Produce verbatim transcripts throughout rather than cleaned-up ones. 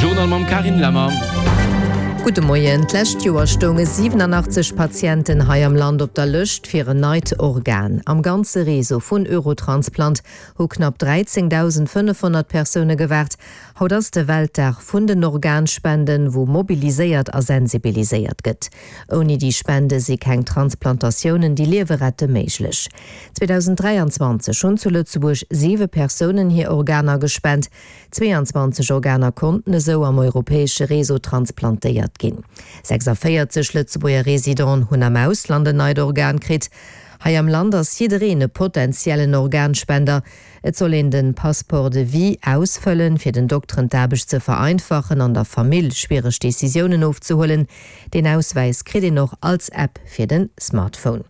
Journal mam Carine Lemmer. Gudde Moien. D'lescht Joer stounge siwenanachtzeg Patienten hei am Land op der Lëscht fir en neit Organ. Am ganze Réseau vun Eurotransplant hu knapp dräizéngdausendfënnefhonnert Persoune gewaart. Haut ass de Weltdag vun den Organspenden, wou mobiliséiert a sensibiliséiert gëtt. Ouni déi Spende si keng Transplantatiounen, déi Liewe rette, méiglech. zweedausenddräianzwanzeg hunn zu Lëtzebuerg siwe Persounen hir Organer gespent. Zweeanzwanzeg Organer konnten esou am europäesche Réseau transplantéiert ginn. Sechsavéierzeg Lëtzebuerger Residenten hunn am Ausland en neit Organ kritt. Hei am Land ass jiddereen e potentiellen Organspender. Et soll een de Passeport de vie ausfëllen, fir den Dokteren d'Aarbecht ze vereinfachen an der Famill schwiereg Decisiounen ofzehuelen. Deen Auswäis kritt een och als App fir de Smartphone.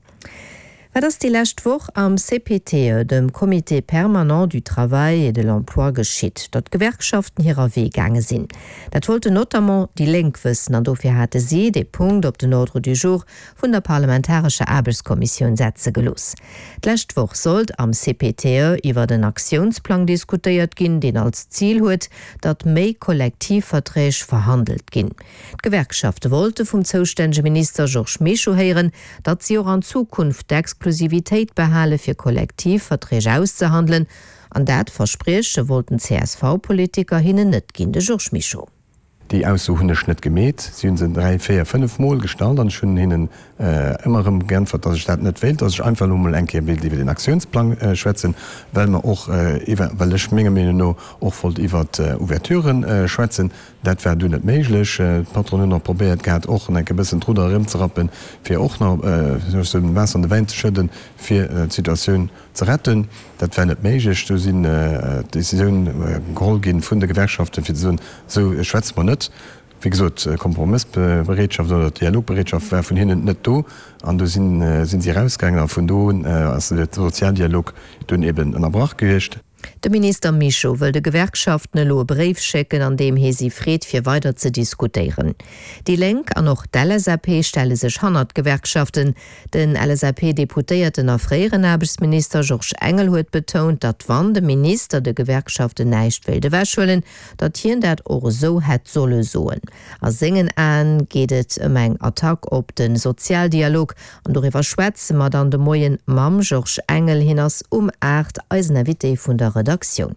Wat ass déi lescht Woch am C P T E, dem Comité permanent du travail et de l'emploi, geschitt, datt d'Gewerkschaften hirer Wee gaange sinn? Dat wollten notamment déi Lénk wëssen an dofir hate si dee Punkt op den Ordre du jour vun der parlamentarescher Aarbechtskommissioun setze gelooss. D'lescht Woch sollt am C P T E iwwert en Aktiounsplang diskutéiert ginn, deen als Zil huet, datt méi Kollektivverträg verhandelt ginn. D'Gewerkschafte wollte vum zoustännege Minister Georges Mischo héieren, datt si och an Zukunft d'Exklusivitéit behale fir Kollektivverträg auszehandelen, an dat Versprieche wollten d'C S V-Politiker hinnen net ginn. De Georges Mischo. Déi Ausso hunn ech net gemeet. Si hunn se dräi, véier, fënnef Mol gestallt an ech hunn hinnen ëmmer erëm geäntwert, datt ech dat net wéilt, datt ech einfach elo mol eng Kéier wéilt iwwer den Aktiounsplang schwätzen, well mer och iwwer, well ech menger Meenung no och wollt iwwer Ouverturen schwätzen. Dat war dunn net méiglech. D'Patronen hunn och probéiert gehat, och nach e bëssen d'Rudder erëmzerappen, fir och nach Waasser an de Wäin ze schëdden, fir d'Situatioun ze retten. Dat war net méiglech. Do sinn d'Decisioun geholl ginn vun de Gewerkschaften, fir ze soen, esou schwätze mer net. Wéi gesot, Kompromëssbereetschaft oder Dialogbereetschaft war vun hinnen net do an do sinn si erausgaangen a vun do un ass de Sozialdialog dunn eben ënnerbrach gewiescht. De Minister Mischo wëll de Gewerkschaften elo e Bréif schécken, an deem hie si freet, fir weider ze diskutéieren. Déi Lénk an och d'L S A P stelle sech hannert d'Gewerkschaften. Den L S A P-Deputéierten a fréieren Aarbechtsminister Georges Engel huet betount, datt wann de Minister de Gewerkschaften näischt wéilt ewechhuelen, datt hien dat och esou hätt solle soen. A sengen Aen geet et ëm eng Attack op de Sozialdialog an doriwwer schwätze mer dann de Moien mam Georges Engel. Hien ass um aacht eisen Invité vun der Redaktioun.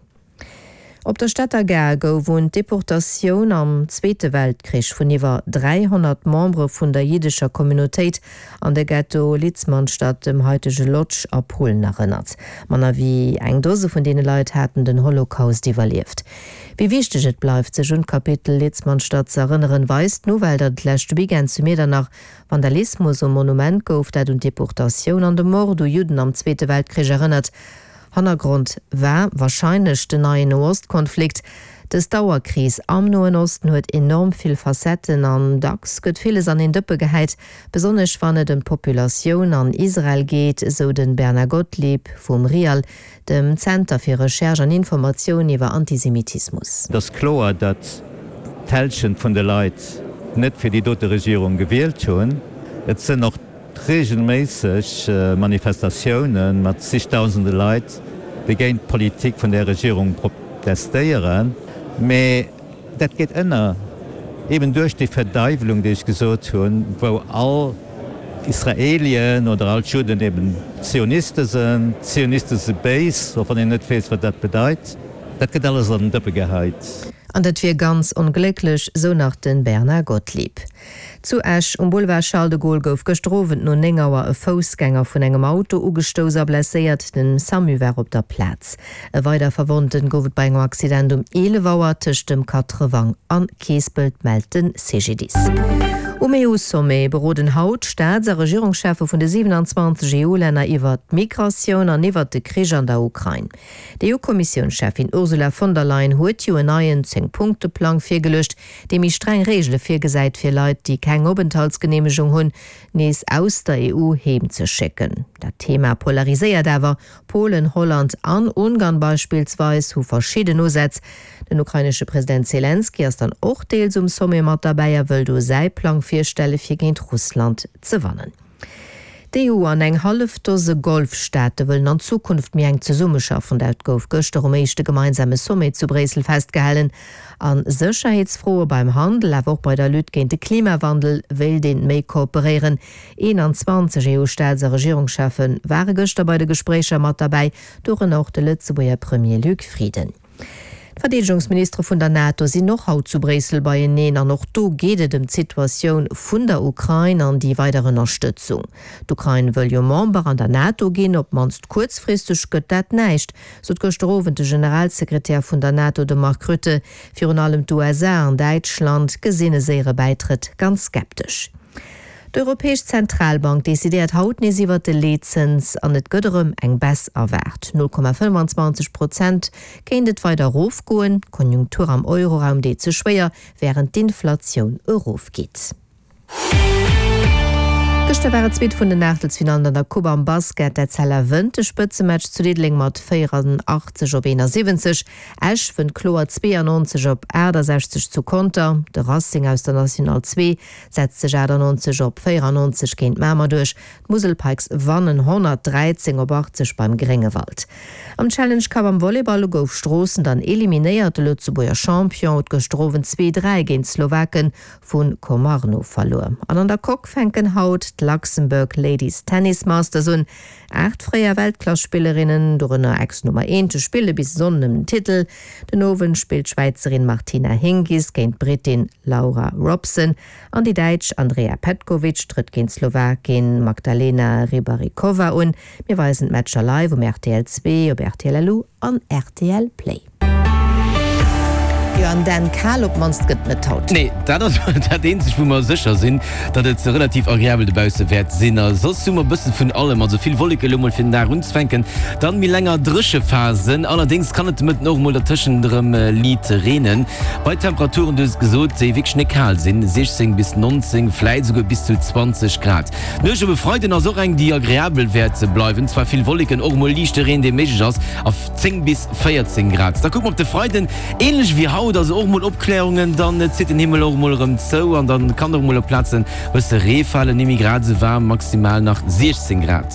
Op der Stater Gare gouf un d'Deportatioun am Zweete Weltkrich vun iwwer dräihonnert Membere vun der jiddescher Communautéit an de Ghetto Litzmannstadt, dem haitege Lodz a Polen, erënnert. Manner wéi eng Dose vun deene Leit haten den Holocaust iwwerlieft. Wéi wichteg et bleift, sech un d'Kapitel Litzmannstadt ze erënneren, weist d'Nouvelle, datt et leschte Weekend zu Miedernach Vandalismus um Monument gouf, dat un d'Deportatioun an de Mord u Judden am Zweete Weltkrich erënnert. Hannergrond war warscheinlech den neien Noostkonflikt. Dës Dauerkris am Noen Osten huet enorm vill Facetten an dacks gëtt villes an een Dëppe gehäit, besonnesch wann et ëm d'Populatioun an Israel geet, esou de Bernard Gottlieb vum RIAL, dem Zenter fir Recherche an Informatioun iwwer Antisemitismus. Et ass kloer, datt d'Hälschent vun de Leit net fir déi dote Regierung gewielt hunn. Et sënn och regelméisseg Manifestatioune mat zigdausende Leit, déi géint d'Politik vun där Regierung protestéieren. Mee dat geet ënner, eben duerch déi Verdaiwelung, déi ech gesot hunn, wou all Israelien oder all d'Judden eben Zioniste sënn. Zioniste si béis, och wann een net weess, wat dat bedeit. Dat gëtt alles an den Dëppe geheit. An dat wier ganz onglécklech, sou nach de Bernard Gottlieb. Zu Esch um Boulevard Charles de Gaulle gouf gëschter Owend no néng Auer e Foussgänger vun engem Auto ugestouss a blesséiert. Den SAMU war op der Plaz. E weider Verwonnten gouf et bei engem Accident um eelef Auer tëscht dem Katrewang an Keespelt, mellt de C G D I S. Um E U-Sommet beroden haut d'Staats a Regierungscheffe vun de siwenanzwanzeg E U-Länner iwwer d'Migratioun an iwwer de Krich an der Ukrain. D'E U-Kommissiounscheffin Ursula von der Leyen huet jo en neien Zéng-Punkte-Plang virgeluecht, dee méi streng Reegele virgesäit fir Leit, déi keng Openthaltsgeneemegung hunn, nees aus der E U heem ze schécken. Dat Thema polariséiert awer. Polen, Holland an Ungarn beispillsweis hu verschidden Usätz. Den ukrainesche President Selenskyj ass dann och deels um Sommet mat derbäi a wëll do säi Plang virstelle fir géint Russland ze wannen. D'EU an eng hallef Dose Golfstaate wëllen an Zukunft méi enk zesummeschaffen. Dat gouf gëschter um éischte gemeinsame Sommet zu Bréissel festgehalen. A Sécherheetsfroe, beim Handel, awer och bei der Lutte géint de Klimawandel wéilt een méi kooperéieren. eenanzwanzeg EU-Staats a Regierungscheffe ware gëschter bei de Gespréicher mat derbäi, dorënner och de Lëtzebuerger Premier Luc Frieden. D'Verdeedegungsministere vun der NATO sinn och haut zu Bréissel beieneen an och do geet et ëm d'Situatioun vun der Ukrain an déi weider Ënnerstëtzung. D'Ukrain wëll jo Member an der NATO ginn, op d'mannst kuerzfristeg gëtt dat näischt, sot gëschter Owend de Generalsekretär vun der NATO, de Mark Rutte. Virun allem d'USA an Däitschland gesinn e séiere Bäitrëtt ganz skeptesch. D'Europäesch Zentralbank decidéiert haut nees iwwert de Leetzëns an et gëtt erëm eng Baisse erwaart. null Komma fënnwanzwanzeg Prozent kéint et weider erofgoen. D'Konjunktur am Euroraum deet sech schwéier, wärend d'Inflatioun erofgeet. Gëschter war et d'zweet vun den Aachtelsfinallen an der Coupe am Basket. D'Etzella wënnt de Spëtzematch zu Diddeleng mat véierandachtzeg op eenasiwwenzeg. Esch wënnt kloer zweeannonzeg op aachtasechzeg zu Conter. De Racing aus der National zwee setzt sech achtannonzeg op véierannonzeg géint Mamer duerch. D'Musel Pikes wannen honnertdräizéng op achtzeg beim Gréngewald. Am Challenge Cup am Volleyball gouf Stroossen dann eliminéiert. De Lëtzebuerger Champion huet gëschter Owend zwee, dräi géint d'Slowake vu Komarno verluer. An an der Coque fänken haut d'Luxembourg Ladies Tennis Masters un. Aacht fréier Weltklass-Spillerinnen, dorënner Ex-Nummer eent, spille bis e Sonnden ëm den Titel. Den Owend spillt d'Schwäizerin Martina Hingis géint d'Brittin Laura Robson an déi Däitsch Andrea Petkovic trëtt géint d'Slowakin Magdalena Rybarikova un. Mir weisen d'Matcher live um rtl zwee, op rtl LU an rtl Play. Jo, an Dan, kal op d'mannst gëtt net haut. Nee, dat ass dat eenzegt, wou mer sécher sinn, datt et relativ agreabel dobausse wäert sinn. A soss hu mer e bësse vun allem, also vill Wolleke lo mol fir den Dag unzefänken, dann méi länger dréche Phasen. Allerdéngs kann et de Mëtten och mol dertëschent erëm liit reenen. Bei Temperaturen, du hues et gesot, déi wierklech net kal sinn, siechzéng bis nonzéng, vläit esouguer bis zu zwanzeg Grad. D'Nuecht op e Freiden ass och eng, déi agreabel wäert bleiwen, zwar vill Wolleken, och mol liichte Reen, dee méiglech ass, a zéng bis véierzéng Grad. Da kucke mer op de Freiden, änlech wéi haut. Haut also och mol Opklärungen, dann zitt den Himmel och mol erëm zou an dann kann och mol op Plazen bësse Ree falen. Ni méi grad esou waarm, maximal nach siechzéng Grad.